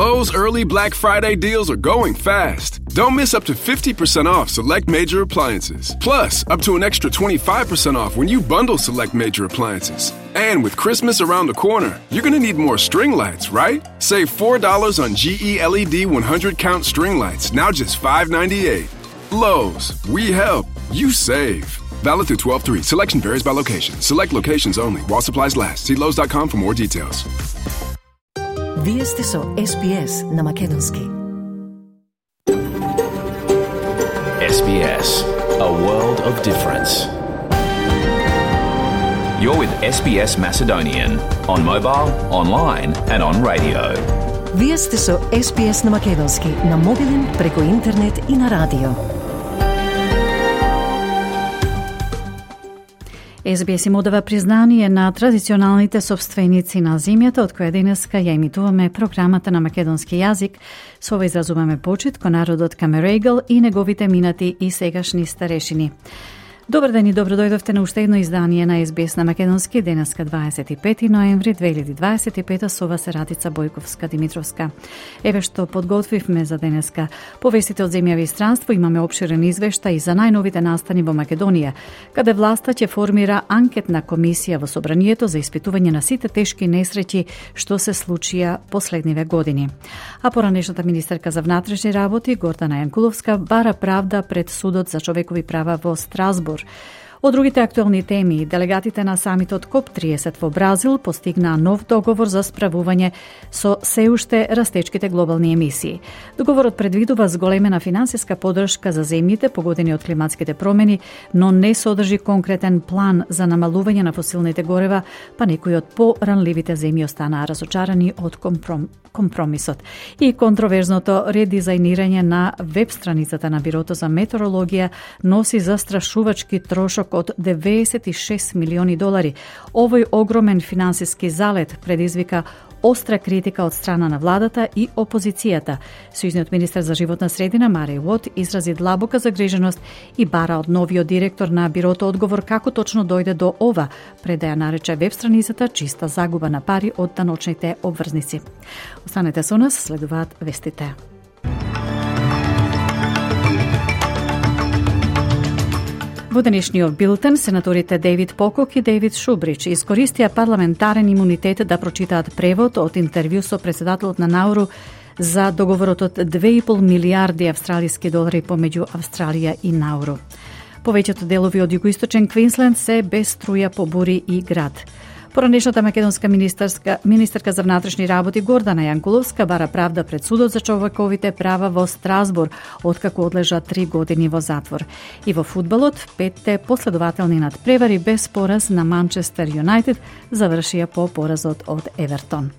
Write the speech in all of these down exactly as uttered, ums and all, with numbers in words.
Lowe's early Black Friday deals are going fast. Don't miss up to fifty percent off select major appliances. Plus, up to an extra twenty-five percent off when you bundle select major appliances. And with Christmas around the corner, you're going to need more string lights, right? Save four dollars on G E L E D one hundred count string lights, now just five ninety-eight. Lowe's, we help, you save. Valid through twelve three. Selection varies by location. Select locations only. While supplies last. See Lowe's dot com for more details. Вие сте со Ес Би Ес на Македонски. Ес Би Ес, a world of difference. You're with Ес Би Ес Macedonian on mobile, online and on radio. Вие сте со Ес Би Ес на Македонски на мобилен, преку интернет и на радио. Ес Би Ес им одава признание на традиционалните собственици на земјата, од која денеска ја емитуваме програмата на македонски јазик. Со ова изразуваме почит кон народот Камерегал и неговите минати и сегашни старешини. Добар ден и добро дојдовте на уште едно издание на Ес Би Ес на Македонски, денеска дваесет и пети ноември две илјади дваесет и пета, со вас е Радица Бојковска-Димитровска. Еве што подготвивме за денеска. Повестите од земја и странство, имаме опширен извештај за најновите настани во Македонија, каде власта ќе формира анкетна комисија во собранието за испитување на сите тешки несреќи што се случија последниве години. А поранешната министерка за внатрешни работи Гордана Јанкуловска бара правда пред судот за човекови права во Страсбур. Од другите актуелни теми, делегатите на самитот Коп триесет во Бразил постигнаа нов договор за справување со се уште растечките глобални емисии. Договорот предвидува зголемена финансиска поддршка за земјите погодени од климатските промени, но не содржи конкретен план за намалување на фосилните горева, па некои од поранливите земји останаа разочарани од компром... компромисот. И контроверзното редизајнирање на веб страницата на Бирото за метеорологија носи застрашувачки трошок од деветдесет и шест милиони долари. Овој огромен финансиски залет предизвика остра критика од страна на владата и опозицијата. Сојузниот министер за животна средина Мареј Уот изрази длабока загриженост и бара од новиот директор на Бирото одговор како точно дојде до ова, пред да ја нарече веб страницата чиста загуба на пари од даночните обврзници. Останете со нас, следуваат вестите. Во денешниот билтен, сенаторите Дейвид Покок и Дейвид Шубрич искористија парламентарен имунитет да прочитаат превод од интервју со председателот на Науру за договорот од две и пол милијарди австралиски долари помеѓу Австралија и Науру. Повеќето делови од југоисточен Квинсленд се без струја по бури и град. Поранешната македонска министерска, министерка за внатрешни работи Гордана Јанкуловска бара правда пред судот за човековите права во Страсбур, откако одлежа три години во затвор. И во фудбалот, петте последователни надпревари без пораз на Манчестер Юнајтед завршија по поразот од Евертон.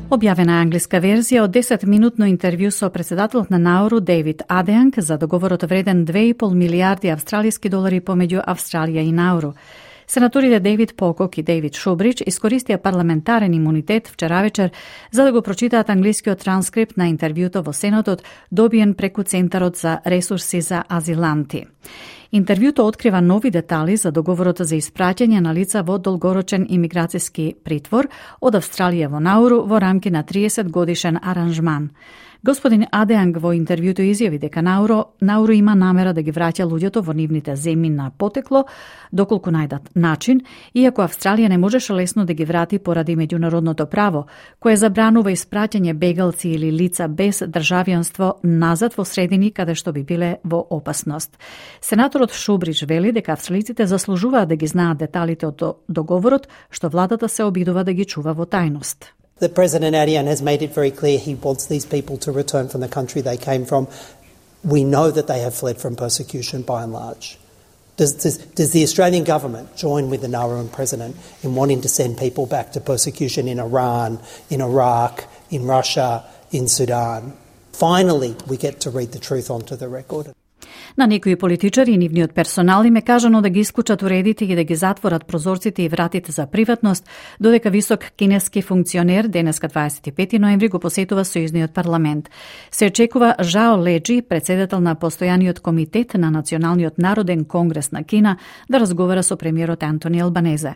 Објавена англиска верзија од десетминутно интервју со председателот на Науру Дейвид Адеанг за договорот вреден две и пол милијарди австралиски долари помеѓу Австралија и Науру. Сенаторите Дейвид Покок и Дейвид Шубрич искористија парламентарен имунитет вчера вечер за да го прочитаат англискиот транскрипт на интервјуто во Сенатот, добиен преку Центарот за ресурси за азиланти. Интервјуто открива нови детали за договорот за испраќање на лица во долгорочен имиграцијски притвор од Австралија во Науру во рамки на триесет годишен аранжман. Господин Адеанг во интервјуто изјави дека Науру, Науру има намера да ги враќа луѓето во нивните земји на потекло, доколку најдат начин, иако Австралија не можеше лесно да ги врати поради меѓународното право, кое забранува испраќање бегалци или лица без државјанство назад во средини каде што би биле во опасност. Сенаторот Шубрич вели дека австралиците заслужуваат да ги знаат деталите од договорот, што владата се обидува да ги чува во тајност. The President Adyan has made it very clear he wants these people to return from the country they came from. We know that they have fled from persecution by and large. Does, does, does the Australian government join with the Nauruan President in wanting to send people back to persecution in Iran, in Iraq, in Russia, in Sudan? Finally, we get to read the truth onto the record. На некои политичари и нивниот персонал им е кажано да ги исклучат уредите и да ги затворат прозорците и вратите за приватност, додека висок кинески функционер денеска дваесет и пети ноември го посетува сојузниот парламент. Се очекува Жао Леджи, председател на постојаниот комитет на Националниот народен конгрес на Кина, да разговара со премиерот Антони Албанезе.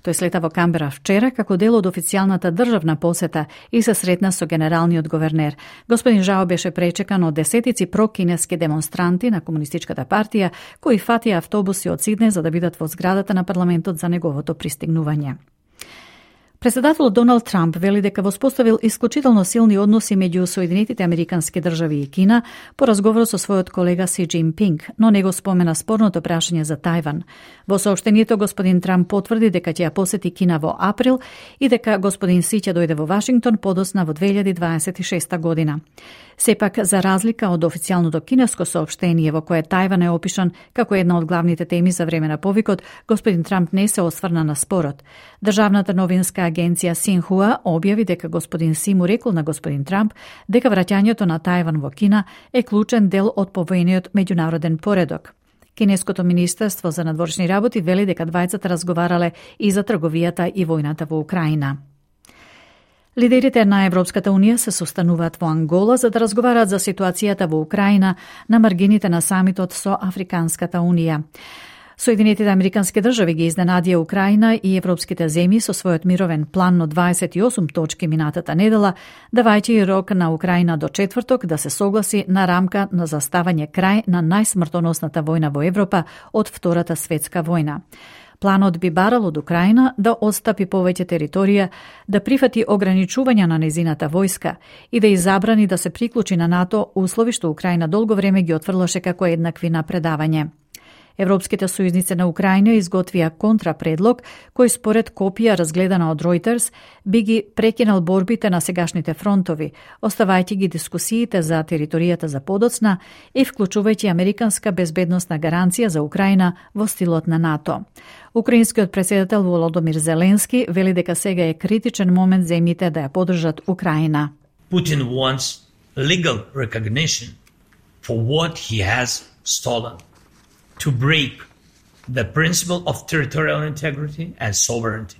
Тој слета во Камбера вчера како дел од официјалната државна посета и се сретна со генералниот говернер. Господин Жао беше пречекан од десетици прокинески демонстранти на Комунистичката партија кои фатија автобуси од Сиднеј за да бидат во зградата на парламентот за неговото пристигнување. Председателот Доналд Трамп вели дека воспоставил исклучително силни односи меѓу Соединетите Американски држави и Кина по разговор со својот колега Си Џинпинг, но не го спомена спорното прашање за Тајван. Во соопштението господин Трамп потврди дека ќе ја посети Кина во април и дека господин Си ќе дојде во Вашингтон подоцна во две илјади дваесет и шеста година. Сепак, за разлика од официјалното кинеско соопштение во кое Тајван е опишан како една од главните теми за време на повикот, господин Трамп не се осврна на спорот. Државната новинска агенција Синхуа објави дека господин Си му рекол на господин Трамп дека враќањето на Тајван во Кина е клучен дел од повојниот меѓународен поредок. Кинеското министерство за надворешни работи вели дека двајцата разговарале и за трговијата и војната во Украина. Лидерите на Европската унија се состануваат во Ангола за да разговараат за ситуацијата во Украина на маргините на самитот со Африканската унија. Соединетите Американски држави ги изненадија Украина и европските земји со својот мировен план од дваесет и осум точки минатата недела, давајќи рок на Украина до четврток да се согласи на рамка на заставање крај на најсмртоносната војна во Европа од Втората светска војна. Планот би барал од Украина да отстапи повеќе територија, да прифати ограничувања на незината војска и да изабрани да се приклучи на НАТО, услови што Украина долго време ги отфрлаше како еднакви на предавање. Европските сојузници на Украина изготвија контрапредлог кој според копија разгледана од Reuters би ги прекинал борбите на сегашните фронтови, оставајќи ги дискусиите за територијата за подоцна и вклучувајќи американска безбедносна гаранција за Украина во стилот на НАТО. Украинскиот председател Володомир Зеленски вели дека сега е критичен момент земјите да ја поддржат Украина. Putin wants legal recognition for what he has stolen. To break the principle of territorial integrity and sovereignty.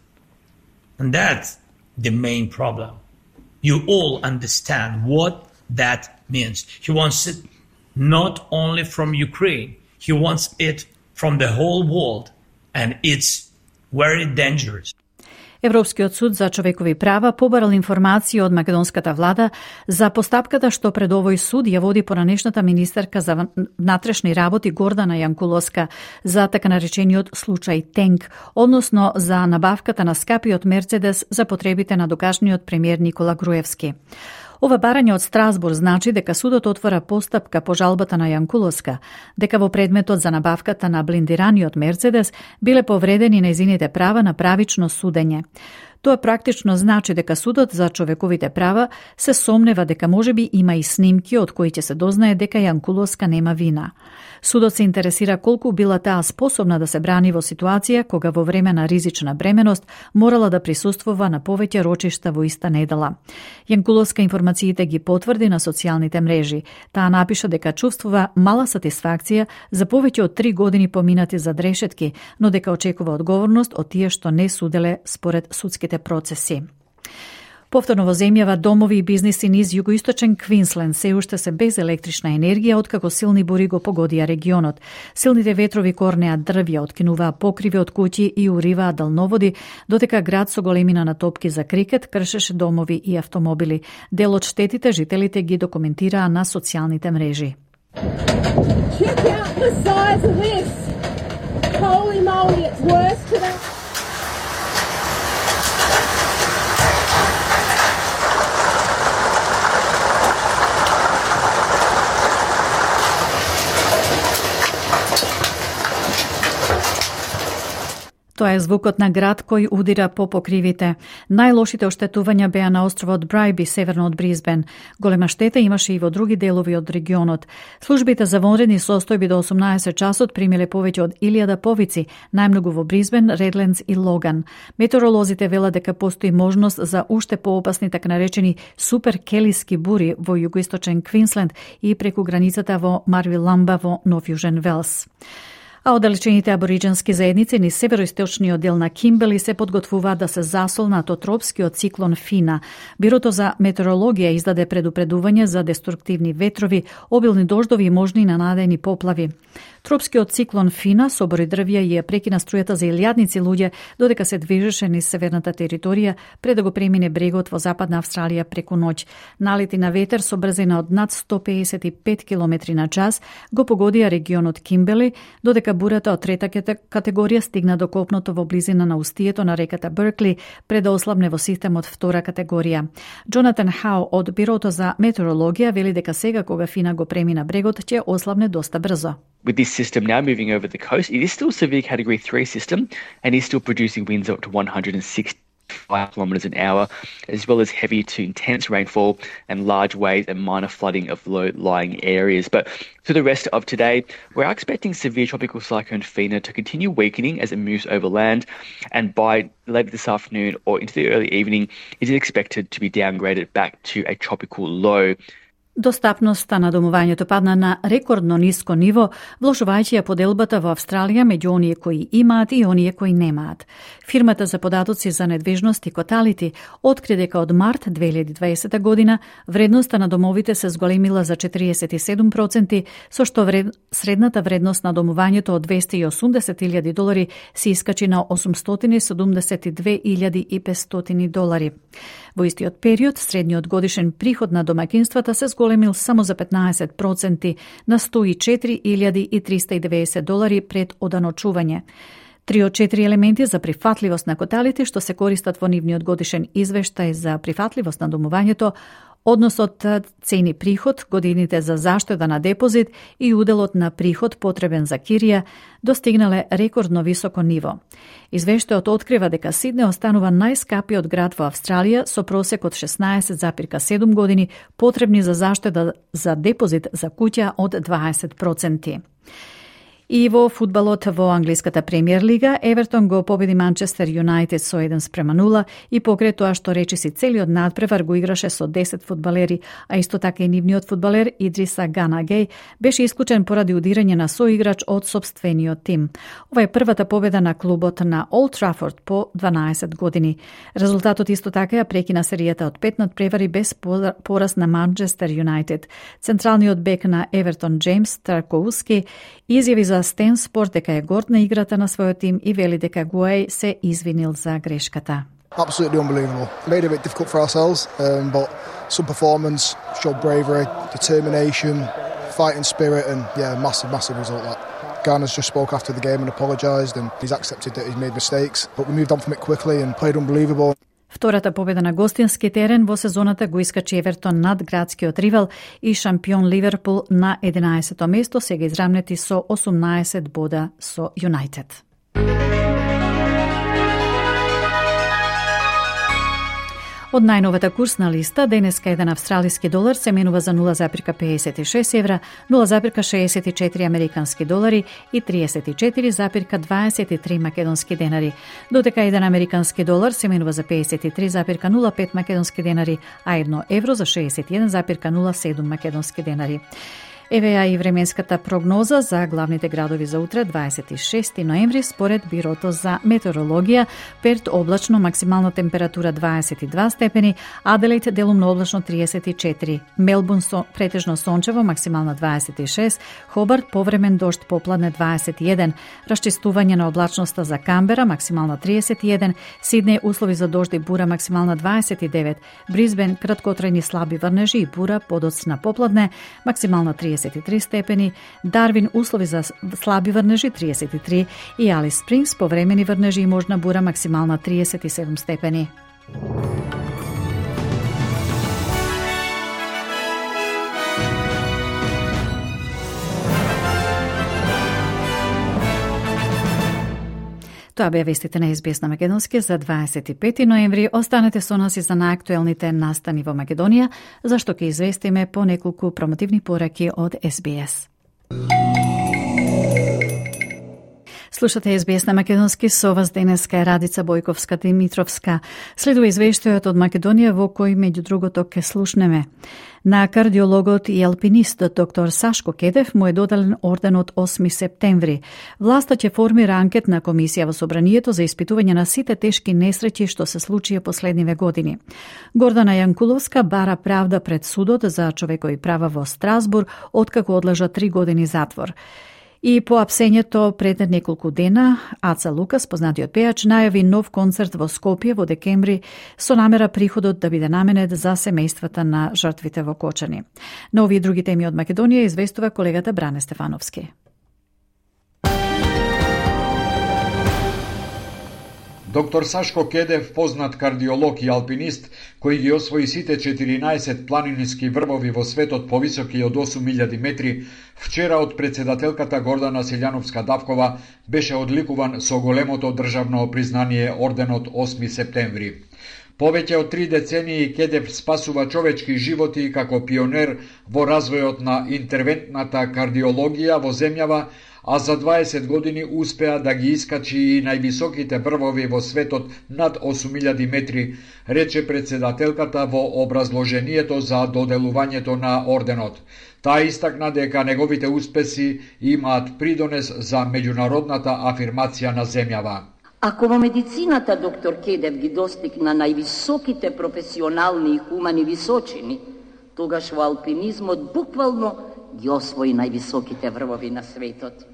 And that's the main problem. You all understand what that means. He wants it not only from Ukraine, he wants it from the whole world, and it's very dangerous. Европскиот суд за човекови права побарал информации од македонската влада за постапката што пред овој суд ја води поранешната министерка за внатрешни работи Гордана Јанкуловска за така наречениот случај Тенк, односно за набавката на скапиот Мерцедес за потребите на докашниот премиер Никола Груевски. Ова барање од Страсбург значи дека судот отвора постапка по жалбата на Јанкуловска, дека во предметот за набавката на блиндираниот Мерцедес биле повредени нејзините права на правично судење. Тоа практично значи дека судот за човековите права се сомнева дека можеби има и снимки од кои ќе се дознае дека Јанкуловска нема вина. Судот се интересира колку била таа способна да се брани во ситуација кога во време на ризична бременост морала да присуствува на повеќе рочишта во иста недела. Јанкуловска информациите ги потврди на социјалните мрежи. Таа напиша дека чувствува мала сатисфакција за повеќе од три години поминати за решетки, но дека очекува одговорност од тие што не суделе според судските процеси. Повторно во земјава домови и бизниси низ југоисточен Квинсленд се уште се без електрична енергија откако силни бури го погодија регионот. Силните ветрови корнеа дрвја, откинуваа покриви од куќи и уриваа далноводи, додека град со големина на топки за крикет кршеше домови и автомобили. Дел од штетите жителите ги документираа на социјалните мрежи. Check out the size of this. Holy moly, it's worse today. Тоа е звукот на град кој удира по покривите. Најлошите оштетувања беа на островот Брайби, северно од Бризбен. Голема штета имаше и во други делови од регионот. Службите за вонредни состојби до осумнаесет часот примиле повеќе од илјада повици, најмногу во Бризбен, Редлендс и Логан. Метеоролозите велат дека постои можност за уште поопасни така наречени супер келиски бури во југоисточен Квинсленд и преку границата во Марвиламба во Нов Јужен Велс. А оддалечените абориџенски заедници низ североисточниот дел на Кимбели се подготвуваат да се засолнат од тропскиот циклон Фина. Бирото за метеорологија издаде предупредување за деструктивни ветрови, обилни дождови и можни ненадени поплави. Тропскиот циклон Фина собори дрвја и ја прекина струјата за илјадници луѓе додека се движеше низ северната територија пред да го премине брегот во западна Австралија преку ноќ. Налети на ветер со брзина од над сто пеесет и пет километри на час го погодија регионот Кимбели, додека бурата од трета категорија стигна до копното во близина на устието на реката Беркли пред да ослабне во системот втора категорија. Джонатан Хау од Бирото за метеорологија вели дека сега кога Фина го премина брегот ќе ослабне доста брзо. With this system now moving over the coast, it is still a severe category three system and is still producing winds up to one hundred sixty-five kilometres an hour, as well as heavy to intense rainfall and large waves and minor flooding of low-lying areas. But through the rest of today, we're expecting severe tropical cyclone Fina to continue weakening as it moves over land, and by later this afternoon or into the early evening, it is expected to be downgraded back to a tropical low. Достапноста на домувањето падна на рекордно ниско ниво, влошувајќи ја поделбата во Австралија меѓу оние кои имаат и оние кои немаат. Фирмата за податоци за недвижност и Коталити откри дека од март две илјади дваесета година вредноста на домовите се зголемила за четириесет и седум проценти, со што вред... средната вредност на домувањето од двесте и осумдесет илјади долари се искачи на осумстотини седумдесет и две илјади и петстотини долари. Во истиот период, средниот годишен приход на домаќинствата се зголемил само за петнаесет проценти на сто и четири илјади и триста и деветдесет долари пред оданочување. Три од четири елементи за прифатливост на Коталити што се користат во нивниот годишен извештај за прифатливост на домувањето, односот цени приход, годините за заштеда на депозит и уделот на приход потребен за кирија, достигнале рекордно високо ниво. Извештајот открива дека Сидне останува најскапиот град во Австралија со просек од шеснаесет зарез седум години потребни за заштеда за депозит за куќа од дваесет проценти. И во фудбалот во англиската премиер лига, Евертон го победи Манчестер Юнајтед со еден спрема нула и покрај тоа што речиси целиот надпревар го играше со десет фудбалери, а исто така и нивниот фудбалер Идриса Гана Геј беше исклучен поради удирање на соиграч од сопствениот тим. Ова е првата победа на клубот на Олд Трафорд по дванаесет години. Резултатот исто така ја прекина серијата од пет надпревари без пораз на Манчестер Юнајтед. Централниот бек на Евертон Джеймс Тарковски изјави за Стен Спорт дека е горд на играта на својот тим и вели дека Гуеј се извинил за грешката. Absolutely unbelievable. Made it a bit difficult for ourselves, um, but some performance, showed bravery, determination, fighting spirit, and yeah, massive, massive result that. Garner's just spoke after the game and apologised, and he's accepted that he's made mistakes, but we moved on from it quickly and played unbelievable. Втората победа на гостински терен во сезоната го искачи Евертон над градскиот ривал и шампион Ливерпул на единаесето место, сега израмнети со осумнаесет бода со Юнајтед. Од најновата курсна листа, денеска еден австралиски долар се менува за нула зарез пеесет и шест евра, нула зарез шеесет и четири американски долари и триесет и четири зарез дваесет и три македонски денари. Додека еден американски долар се менува за пеесет и три зарез нула пет македонски денари, а едно евро за шеесет и еден зарез нула седум македонски денари. Еве ја и временската прогноза за главните градови за утре, дваесет и шести ноември, според Бирото за метеорологија. Перт облачно, максимална температура дваесет и два степени, Аделаид делумно облачно триесет и четири, Мелбурн со, претежно сончево, максимална дваесет и шест, Хобарт повремен дожд попладне дваесет и еден, расчистување на облачноста за Камбера, максимална триесет и еден, Сиднеј услови за дожд и бура, максимална дваесет и девет, Бризбен краткотрајни слаби врнежи и бура подоцна попладне, максимална триесет и три степени, Дарвин услови за слаби врнежи триесет и три и Алис Спрингс повремени врнежи и можна бура, максимална триесет и седум степени. Тоа беа вестите на Ес Би Ес на Македонски за дваесет и пети ноември. Останете со нас и за најактуелните настани во Македонија, зашто ќе известиме по неколку промотивни пораки од Ес Би Ес. Слушате Ес Би Ес на Македонски, со вас денеска е Радица Бојковска-Димитровска. Следува извештајот од Македонија во кој меѓу другото ке слушнеме. На кардиологот и алпинистот доктор Сашко Кедев му е доделен орден од осми септември. Власта ќе формира анкетна комисија во собранието за испитување на сите тешки несреќи што се случија последниве години. Гордана Јанкуловска бара правда пред судот за човекови права во Страсбур, откако одлежа три години затвор. И по апсењето пред неколку дена, Аца Лукас, познатиот пејач, најави нов концерт во Скопје во декември со намера приходот да биде наменет за семејствата на жртвите во Кочани. На овие други теми од Македонија известува колегата Бране Стефановски. Доктор Сашко Кедев, познат кардиолог и алпинист, кој ги освои сите четиринаесет планински врвови во светот повисоки од осум илјади метри, вчера од председателката Гордана Силјановска-Давкова беше одликуван со големото државно признание орденот осми септември. Повеќе од три децении Кедев спасува човечки животи како пионер во развојот на интервентната кардиологија во земјава, а за дваесет години успеа да ги искачи и највисоките врвови во светот над осум илјади метри, рече председателката во образложението за доделувањето на орденот. Таа истакна дека неговите успеси имаат придонес за меѓународната афирмација на земјава. Ако во медицината доктор Кедев ги достигна највисоките професионални и хумани височини, тогаш во алпинизмот буквално ги освои највисоките врвови на светот.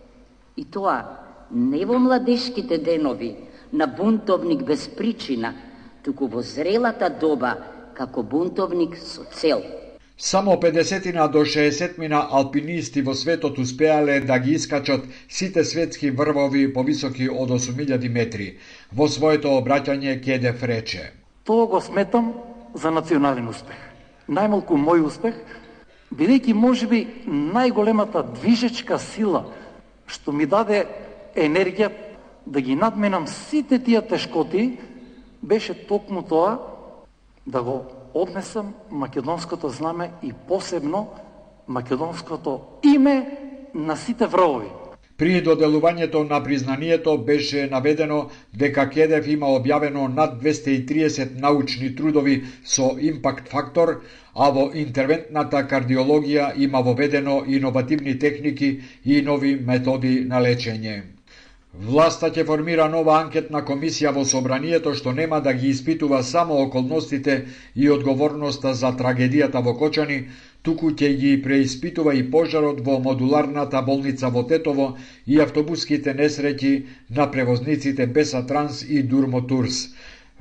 И тоа не во младешките денови на бунтовник без причина, туку во зрелата доба како бунтовник со цел. Само педесетина до шеесетмина алпинисти во светот успеале да ги искачат сите светски врвови повисоки од осум илјади метри. Во своето обраќање Кедев рече: Тоа го сметам за национален успех. Најмалку мој успех, бидејќи можеби најголемата движечка сила што ми даде енергија да ги надменам сите тие тешкоти, беше токму тоа да го однесам македонското знаме и посебно македонското име на сите врвови. При доделувањето на признанието беше наведено дека Кедев има објавено над двесте и триесет научни трудови со импакт фактор, а во интервентната кардиологија има воведено иновативни техники и нови методи на лечење. Власта ќе формира нова анкетна комисија во собранието што нема да ги испитува само околностите и одговорноста за трагедијата во Кочани, туку ќе ги преиспитува и пожарот во модуларната болница во Тетово и автобуските несреќи на превозниците Беса Транс и Дурмо Турс.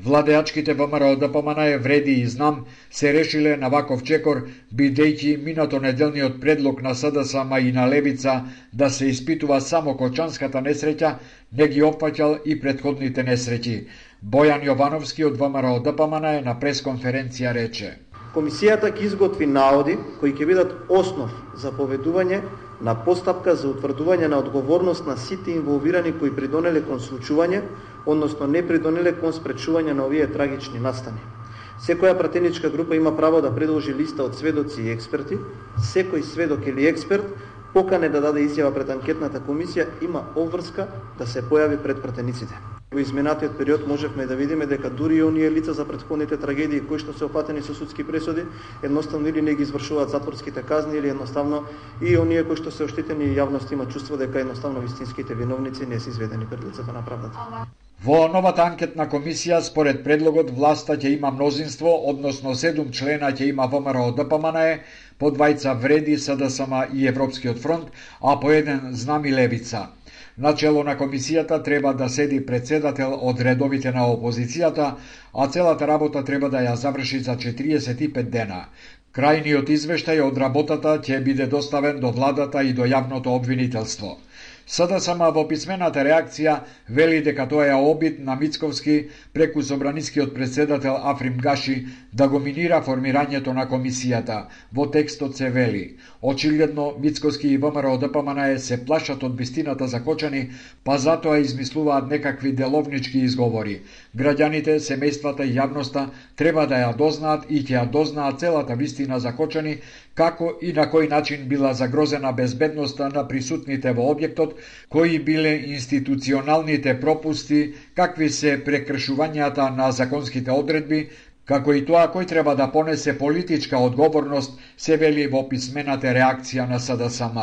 Владеачките ВМРО Д П М Н Е Вреди и Знам се решиле на ваков чекор, бидејќи минато неделниот предлог на С Д С М и на Левица да се испитува само Кочанската несреќа не ги опфаќал и претходните несреќи. Бојан Јовановски од В М Р Д П М Н Е на пресконференција рече: Комисијата ќе изготви наоди кои ќе бидат основ за поведување на постапка за утврдување на одговорност на сите инволвирани кои придонеле кон случување, односно не придонеле кон спречување на овие трагични настани. Секоја пратеничка група има право да предложи листа од сведоци и експерти. Секој сведок или експерт покане да даде изјава пред анкетната комисија има обврска да се појави пред пратениците. Во изминатиот период можевме да видиме дека дури и оние лица за претходните трагедии кои што се опатени со судски пресуди, едноставно или не ги извршуваат затворските казни, или едноставно и оние кои што се оштетени и јавност има чувство дека едноставно вистинските виновници не се изведени пред лицето на правдата. Во новата анкетна комисија, според предлогот, власта ќе има мнозинство, односно седум члена ќе има В М Р Д П М Н Е, по двајца Вреди, С Д С М и Европскиот фронт, а по еден Знам и Левица. Начело на комисијата треба да седи председател од редовите на опозицијата, а целата работа треба да ја заврши за четириесет и пет дена. Крајниот извештај од работата ќе биде доставен до владата и до јавното обвинителство. СДСМ во писмената реакција вели дека тоа е обид на Мицковски преку собранискиот претседател Африм Гаши да го минира формирањето на комисијата. Во текстот се вели: очигледно Мицковски и ВМРО ДПМН се плашат од вистината за Кочани, па затоа измислуваат некакви деловнички изговори. Граѓаните, семејствата и јавноста треба да ја дознаат и ќе ја дознаат целата вистина за Кочани, како и на кој начин била загрозена безбедноста на присутните во објектот, кои биле институционалните пропусти, какви се прекршувањата на законските одредби, како и тоа кој треба да понесе политичка одговорност, се вели во писмената реакција на СДСМ.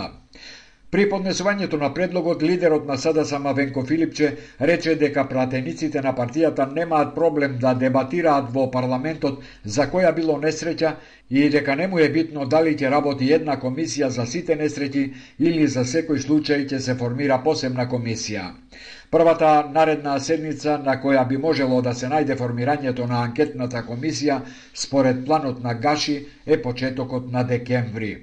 При поднесувањето на предлогот, лидерот на СДСМ Венко Филипче рече дека пратениците на партијата немаат проблем да дебатираат во парламентот за која било несреќа и дека не му е битно дали ќе работи една комисија за сите несреќи или за секој случај ќе се формира посебна комисија. Првата наредна седница на која би можело да се најде формирањето на анкетната комисија според планот на Гаши е почетокот на декември.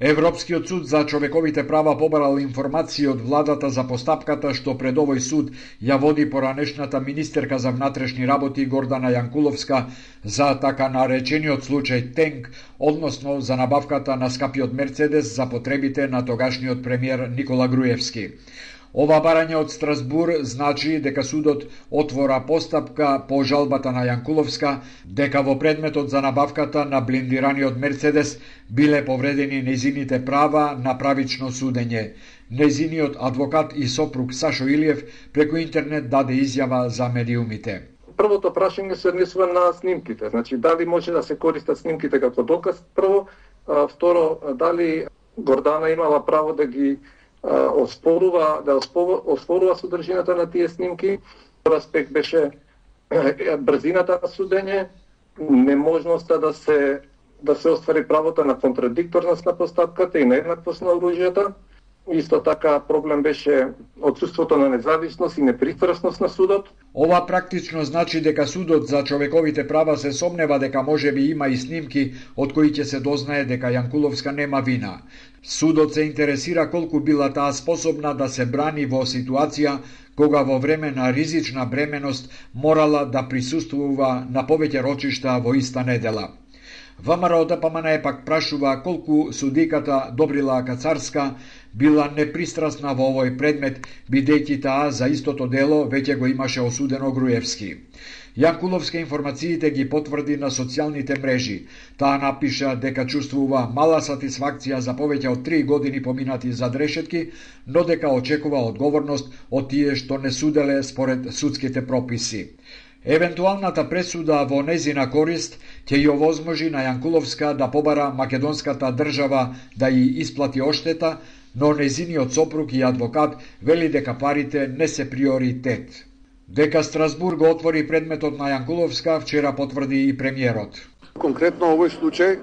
Европскиот суд за човековите права побарал информации од владата за постапката што пред овој суд ја води поранешната министерка за внатрешни работи Гордана Јанкуловска за така наречениот случај Тенк, односно за набавката на скапиот Мерцедес за потребите на тогашниот премиер Никола Груевски. Ова барање од Страсбур значи дека судот отвора постапка по жалбата на Јанкуловска дека во предметот за набавката на блиндираниот Мерцедес биле повредени нејзините права на правично судење. Нејзиниот адвокат и сопруг Сашо Илиев преку интернет даде изјава за медиумите. Првото прашање се однесува на снимките, значи дали може да се користат снимките како доказ прво, а, второ дали Гордана имала право да ги оспорува, да оспорува содржината на тие снимки. Втор аспект беше брзината на судење, неможноста да се да се оствари правото на контрадикторност на постапката и нееднаквост на оружјата. Исто така проблем беше отсуството на независност и непристрасност на судот. Ова практично значи дека судот за човековите права се сомнева дека можеби има и снимки од кои ќе се дознае дека Јанкуловска нема вина. Судот се интересира колку била таа способна да се брани во ситуација кога во време на ризична бременост морала да присуствува на повеќе рочишта во иста недела. ВМРО ДПМН пак прашува колку судиката Добрила Кацарска била непристрасна во овој предмет, бидејќи таа за истото дело веќе го имаше осудено Груевски. Јанкуловска информациите ги потврди на социјалните мрежи. Таа напиша дека чувствува мала сатисфакција за повеќе од три години поминати зад решетки, но дека очекува одговорност од тие што не суделе според судските прописи. Евентуалната пресуда во незина корист ќе ја овозможи на Јанкуловска да побара македонската држава да ја исплати оштета, но незиниот сопруг и адвокат вели дека парите не се приоритет. Дека Страсбург го отвори предметот на Јанкуловска вчера потврди и премиерот. Конкретно овој случај,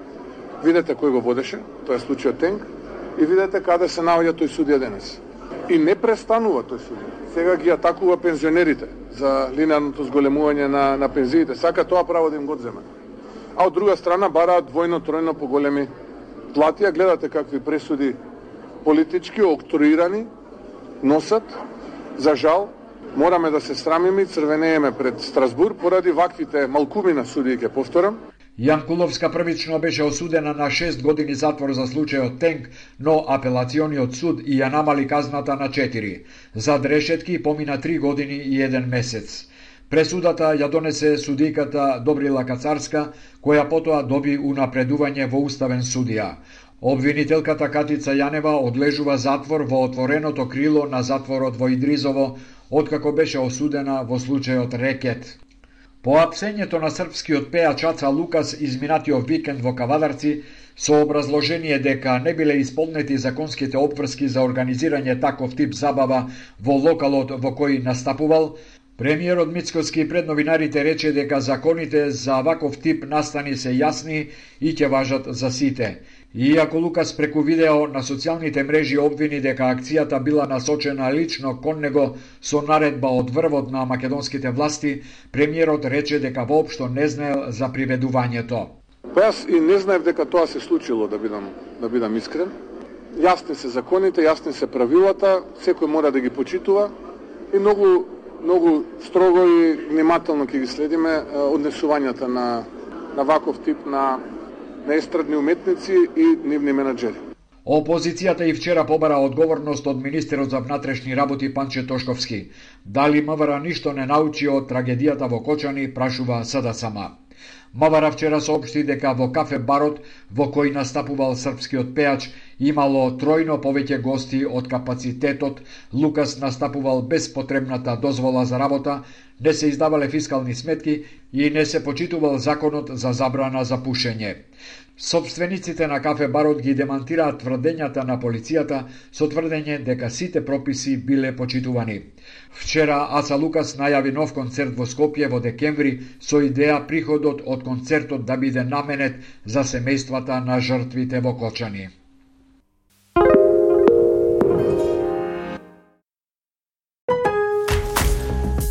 видете кој го водеше, тоа е случајот Тенк, и видете каде се наоѓа тој судија денес. И не престанува тој судија. Сега ги атакува пензионерите за линеарното зголемување на, на пензиите. Сака тоа право да им го одземе. А од друга страна бараат двојно, тројно поголеми плати, а гледате какви пресуди политички, октруирани, носат. За жал, мораме да се срамиме и црвенееме пред Страсбур поради ваквите малкумина судии, ќе повторам. Јанкуловска првично беше осудена на шест години затвор за случајот Тенк, но апелациониот суд и ја намали казната на четири. Зад решетки помина три години и еден месец. Пресудата ја донесе судиката Добрила Кацарска, која потоа доби унапредување во уставен судија. Обвинителката Катица Јанева одлежува затвор во отвореното крило на затворот во Идризово, откако беше осудена во случајот Рекет. По апсењето на српскиот пеач Аца Лукас изминатиот викенд во Кавадарци, со образложение дека не биле исполнети законските обврски за организирање таков тип забава во локалот во кој настапувал, премиерот Мицкоски пред новинарите рече дека законите за ваков тип настани се јасни и ќе важат за сите. Иако Лукас преку видео на социјалните мрежи обвини дека акцијата била насочена лично кон него со наредба од врвот на македонските власти, премиерот рече дека воопшто не знаел за приведувањето. Па јас и не знаев дека тоа се случило, да бидам, да бидам искрен. Јасни се законите, јасни се правилата, секој мора да ги почитува и многу многу строго и внимателно ќе ги следиме однесувањата на на ваков тип на на естрадни уметници и нивни менаџери. Опозицијата и вчера побара одговорност од министерот за внатрешни работи Панче Тошковски. Дали МВР ништо не научи од трагедијата во Кочани, прашува СДСМ. МВР вчера соопшти дека во кафе барот во кој настапувал српскиот пејач имало тројно повеќе гости од капацитетот, Лукас настапувал без потребната дозвола за работа, не се издавале фискални сметки и не се почитувал законот за забрана за пушење. Собствениците на кафе барот ги демантираат тврдењата на полицијата со тврдење дека сите прописи биле почитувани. Вчера Аца Лукас најави нов концерт во Скопје во декември со идеја приходот од концертот да биде наменет за семејствата на жртвите во Кочани.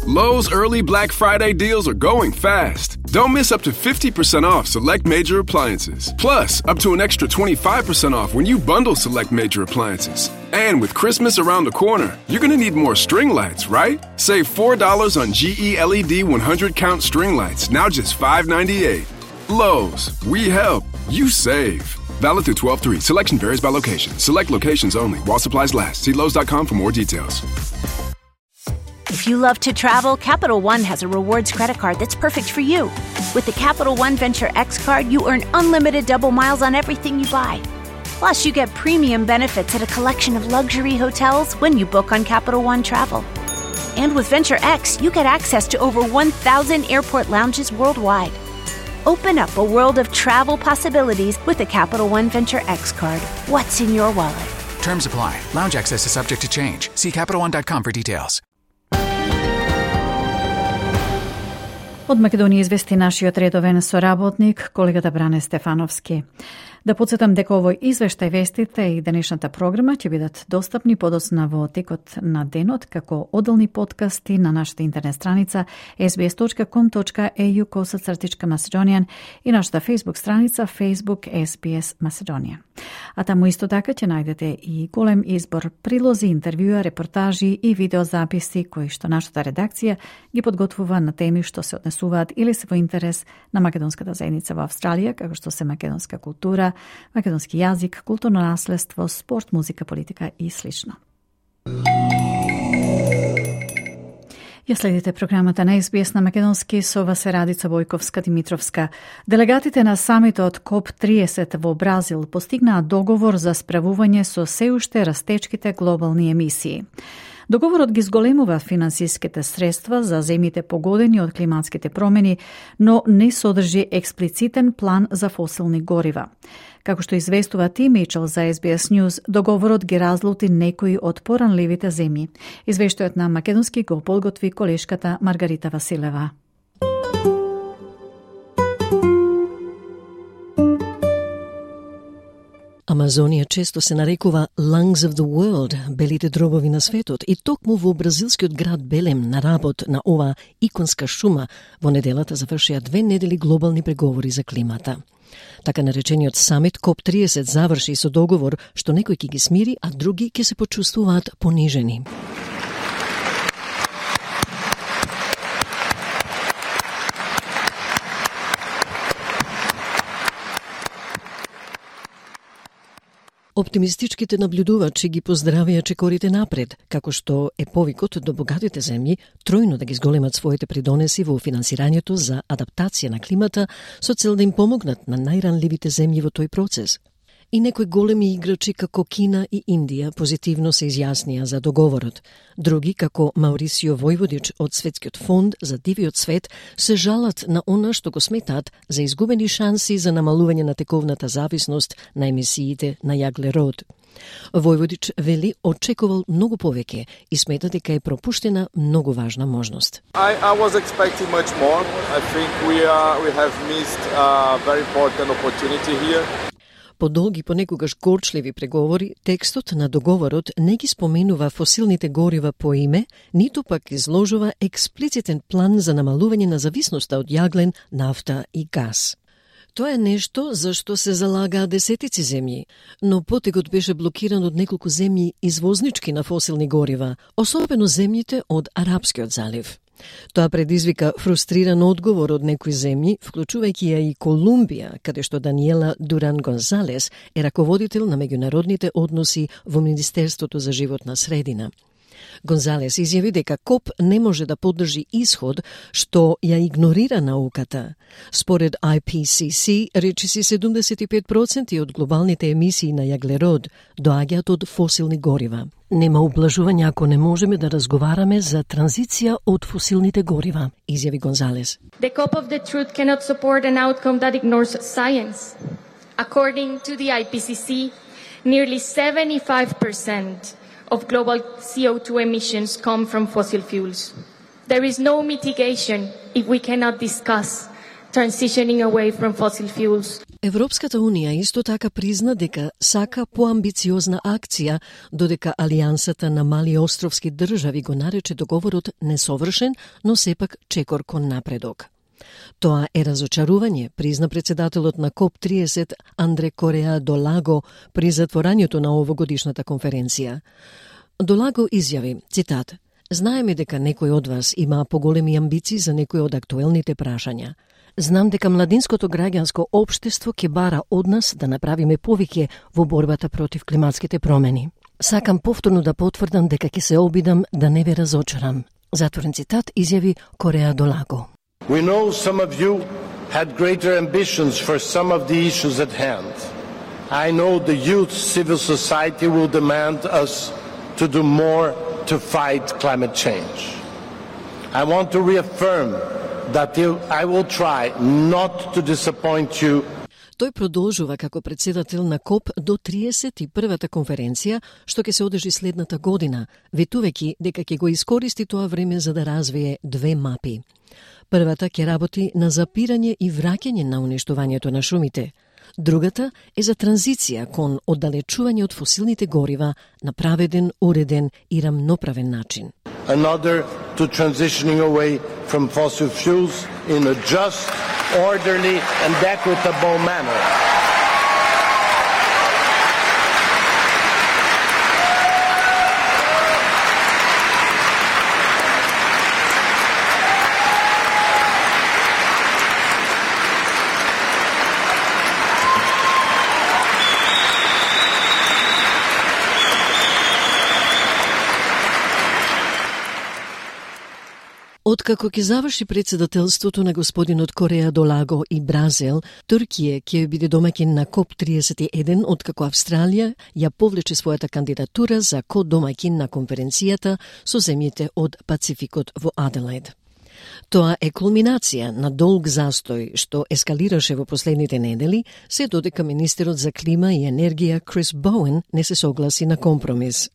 Lowe's early Black Friday deals are going fast. Don't miss up to fifty percent off select major appliances. Plus, up to an extra twenty-five percent off when you bundle select major appliances. And with Christmas around the corner, you're going to need more string lights, right? Save four dollars on G E L E D one hundred count string lights, now just five ninety-eight. Lowe's, we help, you save. Valid through twelve three. Selection varies by location. Select locations only while supplies last. See Lowe's dot com for more details. If you love to travel, Capital One has a rewards credit card that's perfect for you. With the Capital One Venture X card, you earn unlimited double miles on everything you buy. Plus, you get premium benefits at a collection of luxury hotels when you book on Capital One Travel. And with Venture X, you get access to over one thousand airport lounges worldwide. Open up a world of travel possibilities with the Capital One Venture X card. What's in your wallet? Terms apply. Lounge access is subject to change. See Capital One dot com for details. Од Македонија извести нашиот редовен соработник, колегата Бране Стефановски. Да подсетам дека овој извештај, вестите и денешната програма ќе бидат достапни подоцна во текот на денот како одделни подкасти на нашата интернет страница ес би ес точка ком точка е ю косацртичка Macedonian и нашата Facebook страница Facebook ес би ес Macedonian. А таму исто така ќе најдете и голем избор прилози, интервјуа, репортажи и видеозаписи кои што нашата редакција ги подготвува на теми што се однесуваат или се во интерес на македонската заедница во Австралија, како што се македонска култура, македонски јазик, културно наследство, спорт, музика, политика и слично. Ја следите програмата на ес би ес на македонски, со вас е Радица Бојковска-Димитровска. Делегатите на самитот коп триесет во Бразил постигнаа договор за справување со се уште растечките глобални емисии. Договорот ги зголемува финансиските средства за земите погодени од климатските промени, но не содржи експлицитен план за фосилни горива. Како што известува Ти Мичел за ес би ес News, договорот ги разлути некои од поранливите земји. Извештајот на македонски го подготви колешката Маргарита Василева. Амазонија често се нарекува Lungs of the World, белите дробови на светот, и токму во бразилскиот град Белем на работ на оваа иконска шума во неделата завршија две недели глобални преговори за климата. Така наречениот самит коп триесет заврши со договор што некои ќе ги смири, а други ќе се почувствуваат понижени. Оптимистичките наблюдувачи ги поздравија чекорите напред, како што е повикот до богатите земји тројно да ги зголемат своите придонеси во финансирањето за адаптација на климата со цел да им помогнат на најранливите земји во тој процес. И некои големи играчи како Кина и Индија позитивно се изјаснија за договорот. Други, како Маурисио Војводич од Светскиот фонд за дивиот свет, се жалат на она што го сметаат за изгубени шанси за намалување на тековната зависност на емисиите на јаглерод. Војводич вели очекувал многу повеќе и смета дека е пропуштена многу важна можност. I, I was expecting much more. I think we are we have missed a very important opportunity here. По долги, понекогаш горчливи преговори, текстот на договорот не ги споменува фосилните горива по име, ниту пак изложува експлицитен план за намалување на зависноста од јаглен, нафта и газ. Тоа е нешто за што се залагаа десетици земји, но потекот беше блокиран од неколку земји извознички на фосилни горива, особено земјите од Арапскиот залив. Тоа предизвика фрустриран одговор од некои земји, вклучувајќи ја и Колумбија, каде што Даниела Дуран Гонзалес е раководител на меѓународните односи во Министерството за животна средина. Гонзалес изјави дека КОП не може да поддржи исход што ја игнорира науката. Според I P C C, речиси седумдесет и пет проценти од глобалните емисии на јаглерод доаѓаат од фосилни горива. Нема ублажување ако не можеме да разговараме за транзиција од фосилните горива, изјави Гонзалес. The COP of the truth cannot support an outcome that ignores science. According to the I P C C, nearly seventy-five percent of global C O two emissions come from fossil fuels. There is no mitigation if we cannot discuss transitioning away from fossil fuels. Европската унија исто така призна дека сака поамбициозна акција, додека Алијансата на мали островски држави го нарече договорот несовршен, но сепак чекор кон напредок. Тоа е разочарување, призна председателот на КОП тридесет Андре Кореа Долаго при затворањето на овогодишната конференција. Долаго изјави, цитат: "Знаеме дека некој од вас има поголеми амбиции за некои од актуелните прашања. Знам дека младинското граѓанско општество ќе бара од нас да направиме повеќе во борбата против климатските промени. Сакам повторно да потврдам дека ќе се обидам да не ве разочарам." Затворен цитат, изјави Кореа Долаго. We know some of you had greater ambitions for some of the issues at hand. I know the youth civil society will demand us to do more to fight climate change. I want to reaffirm that I will try not to disappoint you. Тој продолжува како председател на КОП до триесет и првата конференција, што ќе се одржи следната година, ветувајќи дека ќе го искористи тоа време за да развие две мапи. Првата ќе работи на запирање и враќање на уништувањето на шумите. Другата е за транзиција кон оддалечување од фосилните горива на праведен, уреден и рамноправен начин. Another to transitioning away from fossil fuels in a just, orderly and equitable manner. Откако ќе заврши председателството на господинот Кореа Долаго и Бразил, Туркија ќе биде домаќин на КОП тридесет и еден, откако Австралија ја повлече својата кандидатура за ко-домаќин на конференцијата со земјите од Пацификот во Аделаид. Тоа е кулминација на долг застој што ескалираше во последните недели, се додека министерот за клима и енергија Крис Боуен не се согласи на компромис.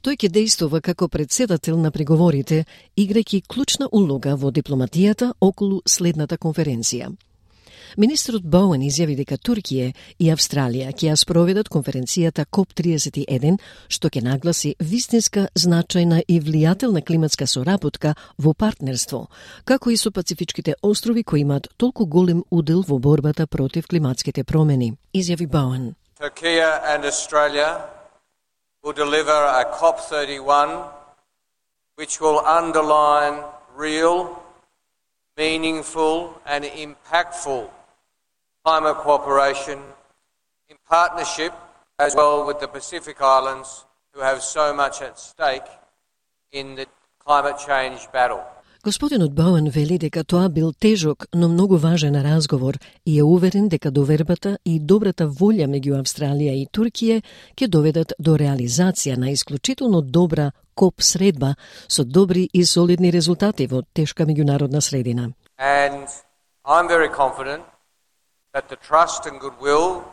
Тој ќе действува како председател на преговорите, играјќи клучна улога во дипломатијата околу следната конференција. Министерот Боуен изјави дека Туркија и Австралија ќе ја спроведат конференцијата КОП тридесет и еден, што ќе нагласи вистинска, значајна и влијателна климатска соработка во партнерство, како и со Пацифичките острови кои имаат толку голем удел во борбата против климатските промени, изјави Боуен. Turkey and Australia will deliver a COP thirty-one which will underline real, meaningful and impactful climate cooperation in partnership as well with the Pacific Islands who have so much at stake in the climate change battle. Господинот Боуен вели дека тоа бил тежок, но многу важен разговор и е уверен дека довербата и добрата волја меѓу Австралија и Туркија ќе доведат до реализација на исклучително добра КОП средба со добри и солидни резултати во тешка меѓународна средина. And I'm very confident that the trust and goodwill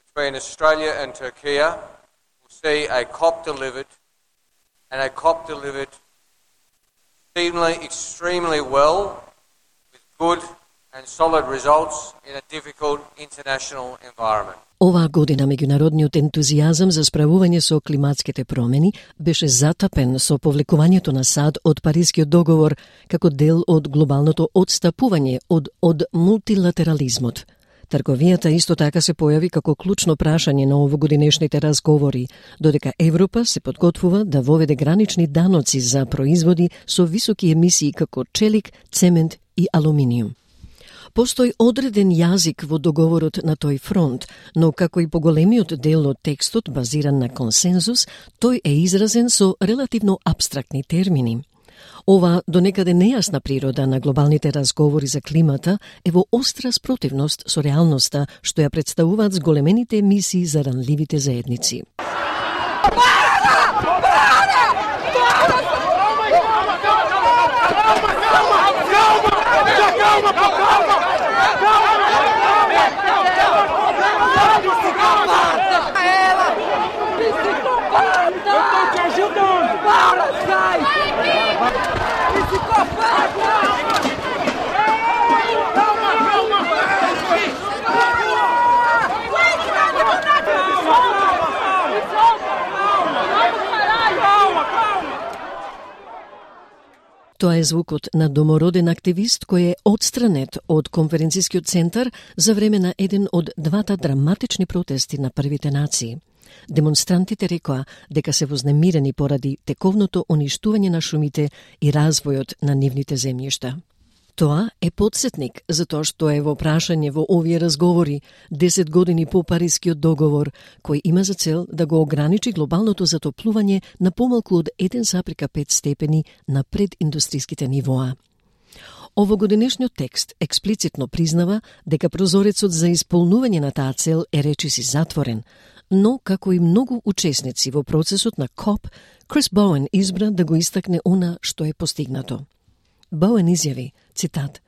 between Australia and Turkey will see a COP delivered and a COP delivered extremely, extremely well with good and solid results in a difficult international environment. Оваа година меѓународниот ентузијазам за справување со климатските промени беше затапен со повлекувањето на САД од Парискиот договор како дел од глобалното одстапување од од мултилатерализмот. Трговијата исто така се појави како клучно прашање на овогодинешните разговори, додека Европа се подготвува да воведе гранични даноци за производи со високи емисии како челик, цемент и алуминиум. Постои одреден јазик во договорот на тој фронт, но како и поголемиот дел од текстот базиран на консензус, тој е изразен со релативно апстрактни термини. Ова донекаде нејасна природа на глобалните разговори за климата е во остра спротивност со реалноста што ја представуваат зголемените емисии за ранливите заедници. Тоа е звукот на домороден активист кој е отстранет од конференцискиот центар за време на еден од двата драматични протести на првите нации. Демонстрантите рекоа дека се вознемирени поради тековното уништување на шумите и развојот на нивните земјишта. Тоа е потсетник за тоа што е во прашање во овие разговори десет години по Парискиот договор, кој има за цел да го ограничи глобалното затоплување на помалку од еден запирка пет степени на прединдустриските нивоа. Овогодинешниот текст експлицитно признава дека прозорецот за исполнување на таа цел е речиси затворен, но како и многу учесници во процесот на КОП, Крис Боуен избра да го истакне она што е постигнато. Боуен изјави, цитат,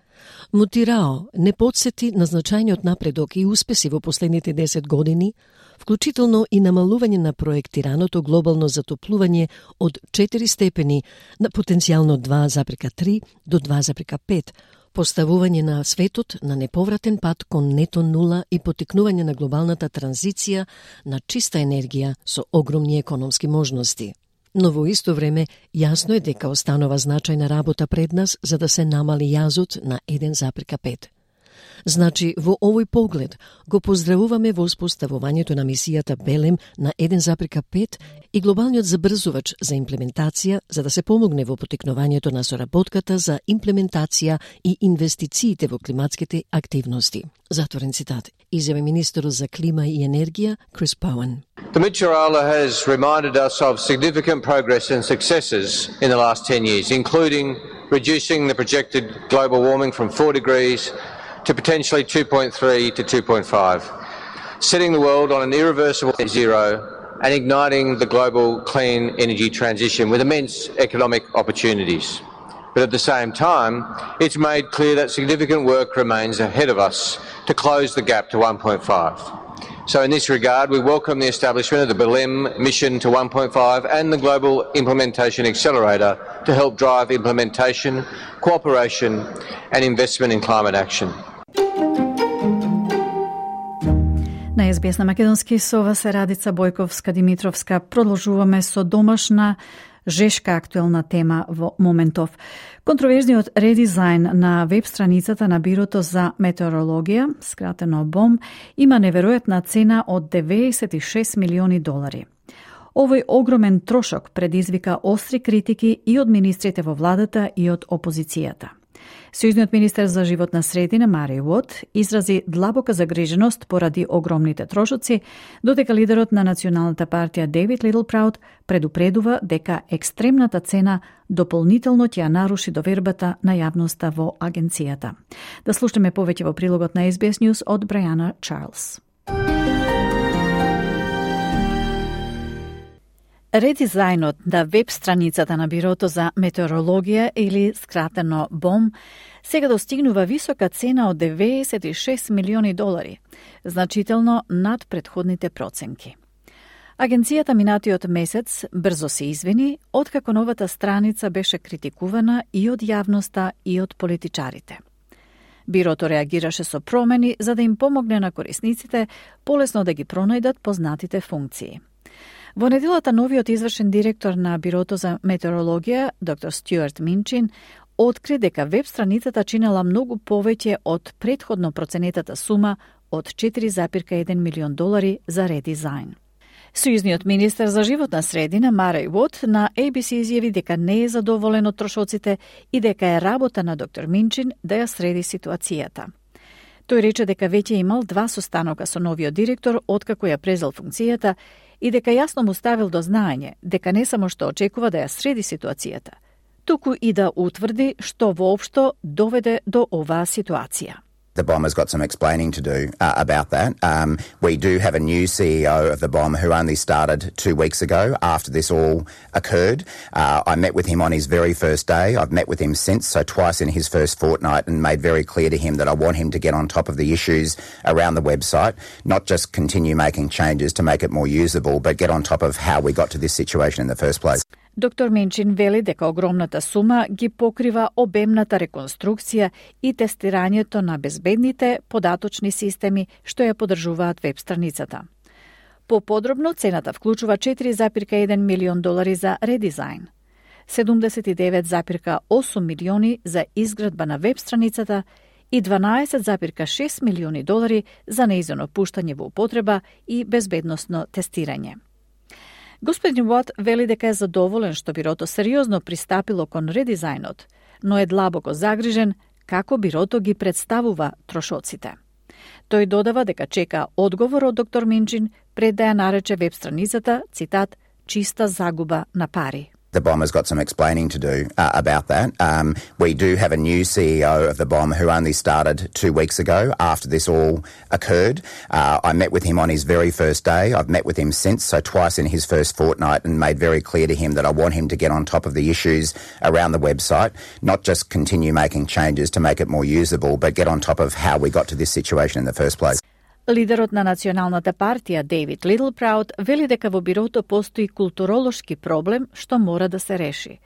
Мутирао не подсети на значајниот напредок и успеси во последните десет години, вклучително и намалување на проектираното глобално затоплување од четири степени на потенцијално два запирка три до два запирка пет, поставување на светот на неповратен пат кон нето нула и потикнување на глобалната транзиција на чиста енергија со огромни економски можности. Но во исто време, јасно е дека останува значајна работа пред нас за да се намали јазот на еден запирка пет. Значи, во овој поглед, го поздравуваме во успоставувањето на мисијата Белем на еден запирка пет и глобалниот забрзувач за имплементација за да се помогне во потикнувањето на соработката за имплементација и инвестициите во климатските активности. Затворен цитат. Изјави министерот за клима и енергија Крис Боуен. The Mutjurala has reminded us of significant progress and successes in the last ten years, including reducing the projected global warming from four degrees to potentially two point three to two point five, setting the world on an irreversible net zero and igniting the global clean energy transition with immense economic opportunities. But at the same time, it's made clear that significant work remains ahead of us to close the gap to one point five. So in this regard, we welcome the establishment of the Belém mission to one point five and the Global Implementation Accelerator to help drive implementation, cooperation and investment in climate action. На Ес Би Ес на македонски со вас е Радица Бојковска-Димитровска. Продолжуваме со домашна жешка актуелна тема во моментов. Контроверзниот редизајн на веб страницата на Бирото за метеорологија, скратено БОМ, има неверојатна цена од деветдесет и шест милиони долари. Овој огромен трошок предизвика остри критики и од министрите во владата и од опозицијата. Сојузниот министер за животна средина Мари Уот изрази длабока загриженост поради огромните трошоци, додека лидерот на Националната партија Дейвид Литлпрауд предупредува дека екстремната цена дополнително ќе ја наруши довербата на јавноста во агенцијата. Да слушаме повеќе во прилогот на Ес Би Ес News од Брајана Чарлс. Редизајнот на веб страницата на Бирото за метеорологија или скратено БОМ сега достигнува висока цена од деветдесет и шест милиони долари, значително над претходните проценки. Агенцијата минатиот месец брзо се извини, откако новата страница беше критикувана и од јавноста и од политичарите. Бирото реагираше со промени за да им помогне на корисниците полесно да ги пронајдат познатите функции. Во неделата новиот извршен директор на Бирото за метеорологија, доктор Стюарт Минчин, откри дека веб страницата чинела многу повеќе од претходно проценетата сума од четири запирка еден милион долари за редизајн. Сојузниот министер за животна средина Мареј Уот на A B C изјави дека не е задоволен од трошоците и дека е работа на доктор Минчин да ја среди ситуацијата. Тој рече дека веќе имал два состанока со новиот директор откако ја презел функцијата и дека јасно му ставил до знаење дека не само што очекува да ја среди ситуацијата, туку и да утврди што воопшто доведе до оваа ситуација. The B O M has got some explaining to do uh, about that. Um, we do have a new C E O of the B O M who only started two weeks ago after this all occurred. Uh, I met with him on his very first day. I've met with him since, so twice in his first fortnight, and made very clear to him that I want him to get on top of the issues around the website, not just continue making changes to make it more usable, but get on top of how we got to this situation in the first place. Доктор Минчин вели дека огромната сума ги покрива обемната реконструкција и тестирањето на безбедните податочни системи што ја поддржуваат веб страницата. Поподробно, цената вклучува четири запирка еден милион долари за редизајн, седумдесет и девет запирка осум милиони за изградба на веб страницата и дванаесет запирка шест милиони долари за нејзино пуштање во употреба и безбедносно тестирање. Господин Уот вели дека е задоволен што бирото сериозно пристапило кон редизајнот, но е длабоко загрижен како бирото ги представува трошоците. Тој додава дека чека одговор од доктор Минчин пред да ја нарече веб страницата, цитат, чиста загуба на пари. The B O M has got some explaining to do uh, about that. Um, we do have a new C E O of the B O M who only started two weeks ago after this all occurred. Uh, I met with him on his very first day. I've met with him since, so twice in his first fortnight, and made very clear to him that I want him to get on top of the issues around the website, not just continue making changes to make it more usable, but get on top of how we got to this situation in the first place. Лидерот на Националната партија Дейвид Литлпраут вели дека во бирото постои културолошки проблем што мора да се реши.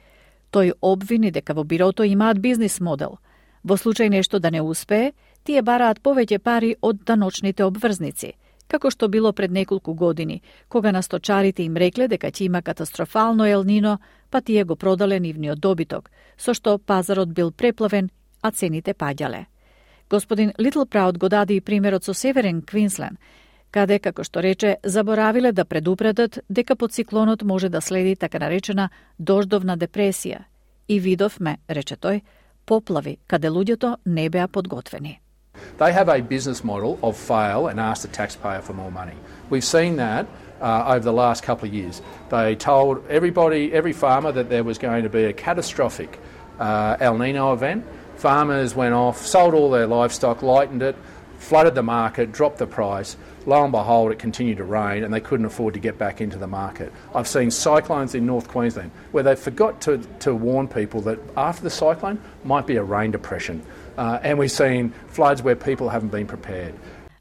Тој обвини дека во бирото имаат бизнис модел. Во случај нешто да не успее, тие бараат повеќе пари од даночните обврзници, како што било пред неколку години, кога на сточарите им рекле дека ќе има катастрофално елнино, па тие го продале нивниот добиток, со што пазарот бил преплавен, а цените паѓале. Господин Литлпраут го даде и примерот со Северен Квинсленд, каде, како што рече, заборавиле да предупредат дека под циклонот може да следи така наречена дождовна депресија. И видовме, рече тој, поплави, каде луѓето не беа подготвени. They have a business model of fail and ask the taxpayer for more money. We've seen that uh, over the last couple of years. They told everybody, every farmer, that there was going to be a catastrophic uh, El Nino event. Farmers went off, sold all their livestock, lightened it, flooded the market, dropped the price. Lo and behold, it continued to rain and they couldn't afford to get back into the market. I've seen cyclones in North Queensland where they forgot to, to warn people that after the cyclone might be a rain depression. Uh, and we've seen floods where people haven't been prepared.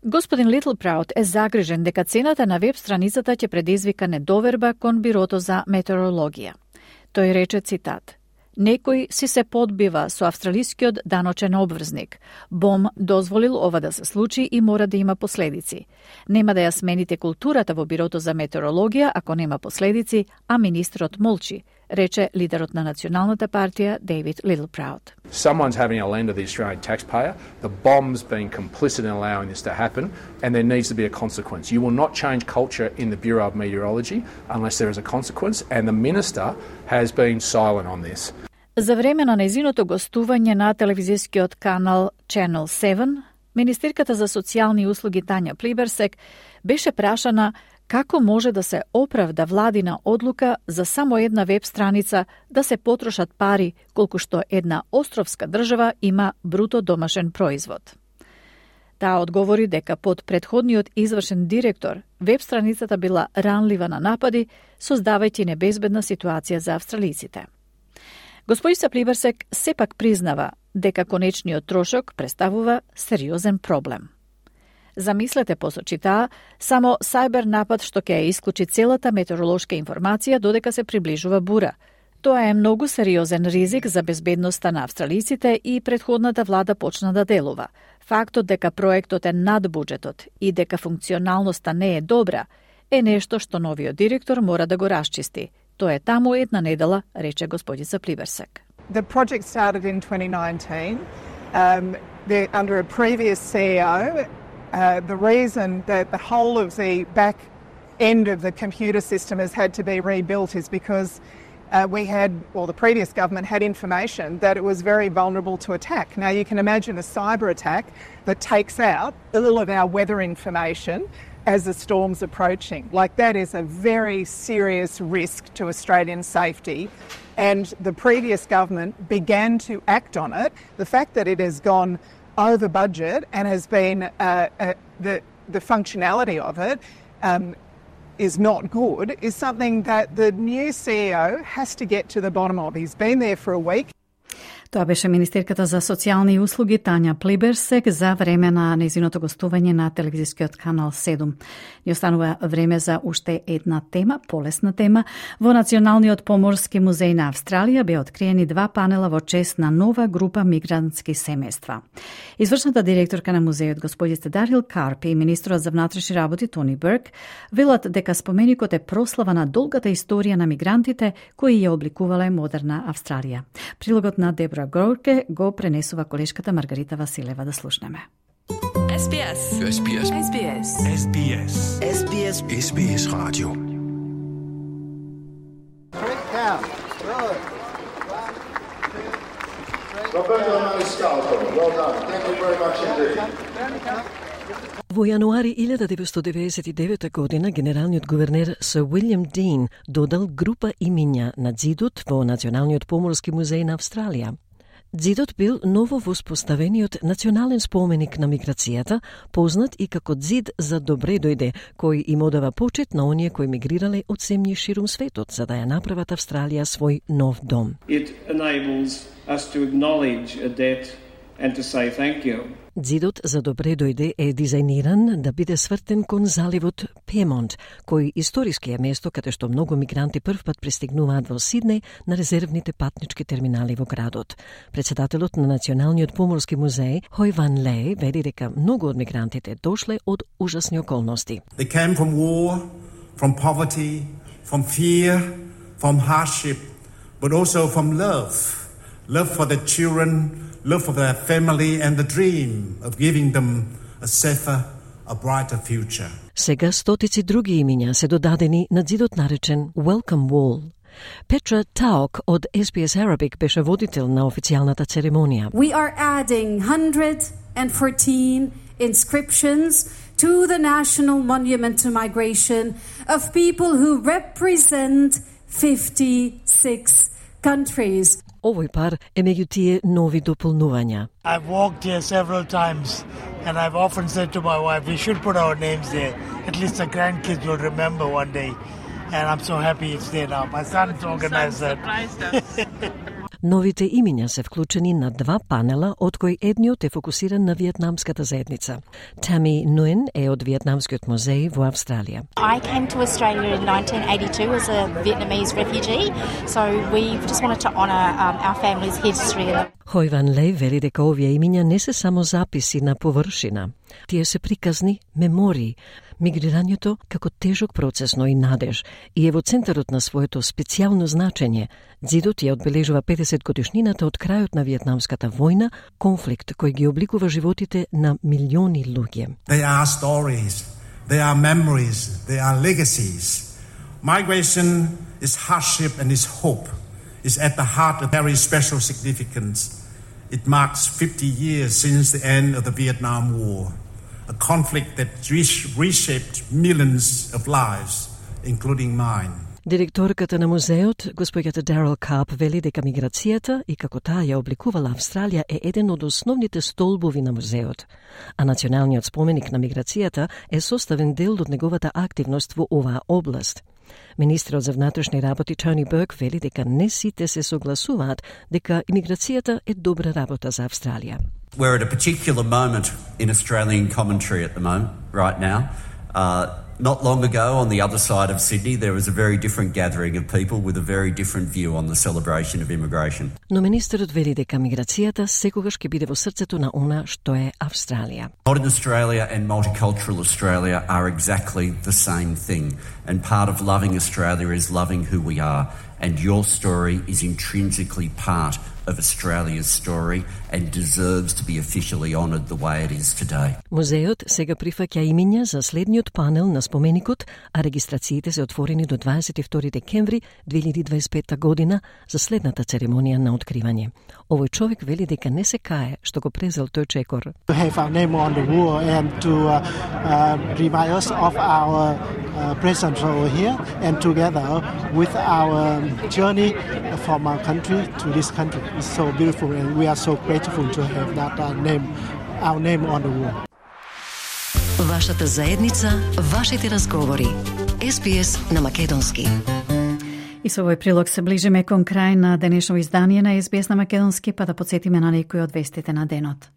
Господин Литлпраут е загрижен дека цената на веб страницата ќе предизвика недоверба кон бирото за метеорологија. Тој рече, цитат, некој си се подбива со австралискиот даночен обврзник. Б O M дозволил ова да се случи и мора да има последици. Нема да ја смените културата во бирото за метеорологија ако нема последици, а министрот молчи, рече лидерот на Националната партија Дейвид Литлпраут. Someone's having a lend to the Australian taxpayer. The B O M's been complicit in allowing this to happen, and there needs to be a consequence. You will not change culture in the Bureau of Meteorology unless there is a consequence, and the minister has been silent on this. За време на нејзиното гостување на телевизискиот канал Channel седум, министерката за социјални услуги Тања Плиберсек беше прашана како може да се оправда владина одлука за само една веб страница да се потрошат пари колку што една островска држава има бруто домашен производ. Таа одговори дека под претходниот извршен директор веб страницата била ранлива на напади, создавајќи небезбедна ситуација за австралиците. Господица Плиберсек сепак признава дека конечниот трошок представува сериозен проблем. Замислете, посочи таа, само сајбер напад што ќе ја исклучи целата метеоролошка информација додека се приближува бура. Тоа е многу сериозен ризик за безбедноста на австралиците и претходната влада почна да делува. Фактот дека проектот е над буџетот и дека функционалноста не е добра е нешто што новиот директор мора да го расчисти. Тоа е таму една недела, рече господица Плиберсек. The project started in twenty nineteen. Um, under a previous C E O, uh, the reason that the whole of the back end of the computer system has had to be rebuilt is because Uh, we had, well, the previous government had information that it was very vulnerable to attack. Now, you can imagine a cyber attack that takes out all of our weather information as the storm's approaching. Like, that is a very serious risk to Australian safety. And the previous government began to act on it. The fact that it has gone over budget and has been, uh, uh, the, the functionality of it, um, is not good, is something that the new C E O has to get to the bottom of. He's been there for a week. Тоа беше министерката за социјални услуги Тања Плиберсек за време на нејзиното гостување на телевизискиот канал седум. Ни останува време за уште една тема, полесна тема. Во Националниот поморски музеј на Австралија беа откриени два панела во чест на нова група мигрантски семејства. Извршната директорка на музејот господица Дарил Карп и министрот за внатрешни работи Тони Берк велат дека споменикот е прослава на долгата историја на мигрантите кои ја обликувале модерна Австралија. Прилогот на Дебра Горке го пренесува колешката Маргарита Василева, да слушнеме. Ес Би Ес. Ес Би Ес. Ес Би Ес. Ес Би Ес. Ес Би Ес. Ес Би Ес Radio. Roberto Maniscalco, well done. Thank you very much indeed. Во јануари илјада деветстотини деветдесет и девета година генералниот гувернер Сир Уилјам Дин додал група имиња на ѕидот во Националниот поморски музеј на Австралија. Ѕидот бил ново воспоставениот национален споменик на миграцијата, познат и како ѕид за добре дојде, кој им одава почет на оние кои мигрирале од земји ширум светот за да ја направат Австралија свој нов дом. It enables us to acknowledge a debt and to say thank you. Ѕидот за добре дојде е дизајниран да биде свртен кон заливот Пемонт, кој историски е место каде што многу мигранти првпат пристигнуваат во Сиднеј на резервните патнички терминали во градот. Председателот на Националниот поморски музеј, Хой Ван Лей, вели дека многу од мигрантите дошле од ужасни околности. They came from war, from poverty, from fear, from hardship, but also from love. Love for their children, love for their family and the dream of giving them a safer, a brighter future. Сега стотици други имиња се додадени на ѕидот наречен Welcome Wall. Петра Таок од Ес Би Ес Arabic беше водител на официјалната церемонија. We are adding one hundred fourteen inscriptions to the National Monument to Migration of people who represent fifty-six countries. Овој пар е меѓу тие нови дополнувања. I've walked here several times and I've often said to my wife, we should put our names there. At least the grandkids will remember one day. And I'm so happy it's there now. My son's organized that. Новите имиња се вклучени на два панела, од кои едниот е фокусиран на виетнамската заедница. Тами Нуен е од Виетнамскиот музеј во Австралија. I came to Australia in nineteen eighty-two as a Vietnamese refugee, so we just wanted to honour um, our family's history. Хой Ван Лей вели дека овие имиња не се само записи на површина. Тие се приказни мемории, мигрирањето како тежок процес, но и надеж, и е во центарот на своето специјално значење. дзидот ја одбележува педесет годишнината од крајот на Виетнамската војна, конфликт кој ги обликува животите на милиони луѓе. They are stories, they are memories, they are legacies. Migration is hardship and is hope. Is at the heart of very special significance. It marks fifty years since the end of the Vietnam War, a conflict that reshaped millions of lives, including mine. Директорката на музеот, господјата Дарил Карп, вели дека миграцијата и како таа ја обликувала Австралија е еден од основните столбови на музеот, а националниот споменик на миграцијата е составен дел од неговата активност во оваа област. Министрот за внатрешни работи Тони Берк вели дека не сите се согласуваат дека имиграцијата е добра работа за Австралија. We're at a particular moment in Australian commentary at the moment, right now. Uh, not long ago, on the other side of Sydney, there was a very different gathering of people with a very different view on the celebration of immigration. Но министерот вели дека миграцијата секогаш ќе биде во срцето на она што е Австралија. Modern Australia and multicultural Australia are exactly the same thing. And part of loving Australia is loving who we are. And your story is intrinsically part of Australia's story and deserves to be officially honoured the way it is today. Музеот сега прифаќа имиња за следниот панел на споменикот, а регистрациите се отворени до дваесет и втори декември две илјади дваесет и пета година за следната церемонија на откривање. Овој човек вели дека не се кае што го презел тој чекор. To have our name on the wall and to uh, uh, remind us of our uh, presence over here and together with our journey from our country to this country. It's so beautiful and we are so grateful to have that uh, name, our name on the wall. Вашата заедница, вашите разговори. Ес Би Ес на македонски. И со овој прилог се ближиме кон крај на денешно издание на Ес Би Ес на македонски, па да подсетиме на некои од вестите на денот.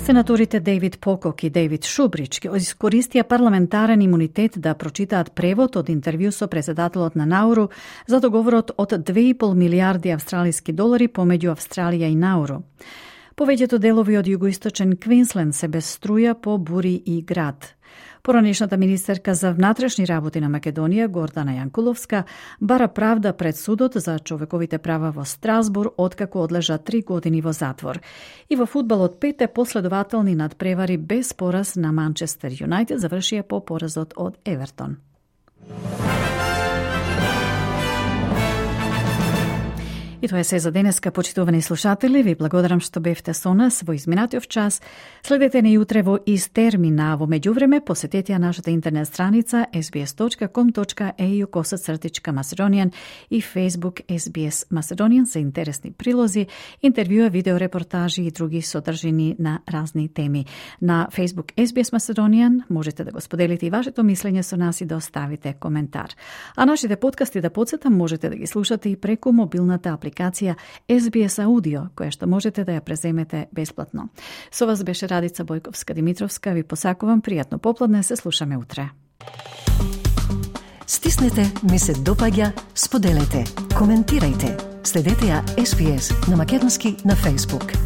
Сенаторите Дейвид Покок и Дейвид Шубрич искористија парламентарен имунитет да прочитаат превод од интервју со председателот на Науру за договорот од две и пол милијарди австралиски долари помеѓу Австралија и Науру. Повеќето делови од југоисточен Квинсленд се без струја по бури и град. Поранешната министерка за внатрешни работи на Македонија, Гордана Јанкуловска, бара правда пред судот за човековите права во Страсбур, откако одлежа три години во затвор. И во фудбалот пете последователни надпревари без пораз на Манчестер Юнајтед завршија по поразот од Евертон. И тоа е се за денеска, почитувани слушатели. Ви благодарам што бевте со нас во изминатиот час. Следете не утре во ист термин, а во меѓувреме посетете нашата интернет страница ес би ес точка ком точка ей ю косацртичка Macedonian и Facebook ес би ес Macedonian за интересни прилози, интервјуа, видеорепортажи и други содржини на разни теми. На Facebook ес би ес Macedonian можете да го споделите и вашето мислење со нас и да оставите коментар. А нашите подкасти, да подсетам, можете да ги слушате и преку мобилната апликација апликација Ес Би Ес Аудио, која што можете да ја преземете бесплатно. Со вас беше Радица Бојковска-Димитровска. Ви посакувам пријатно попладне, се слушаме утре. Стиснете, ми се допаѓа, споделете, коментирајте. Следете ја Ес Би Ес на македонски на Facebook.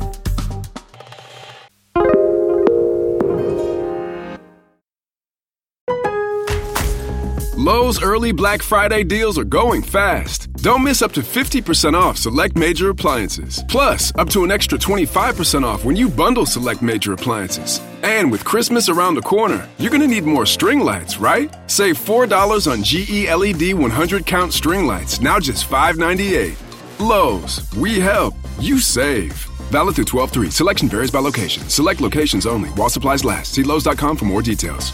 Lowe's early Black Friday deals are going fast. Don't miss up to fifty percent off select major appliances. Plus, up to an extra twenty-five percent off when you bundle select major appliances. And with Christmas around the corner, you're going to need more string lights, right? Save four dollars on G E L E D one hundred count string lights, now just five ninety-eight. Lowe's, we help, you save. Valid through twelve three. Selection varies by location. Select locations only. While supplies last. See Lowe's dot com for more details.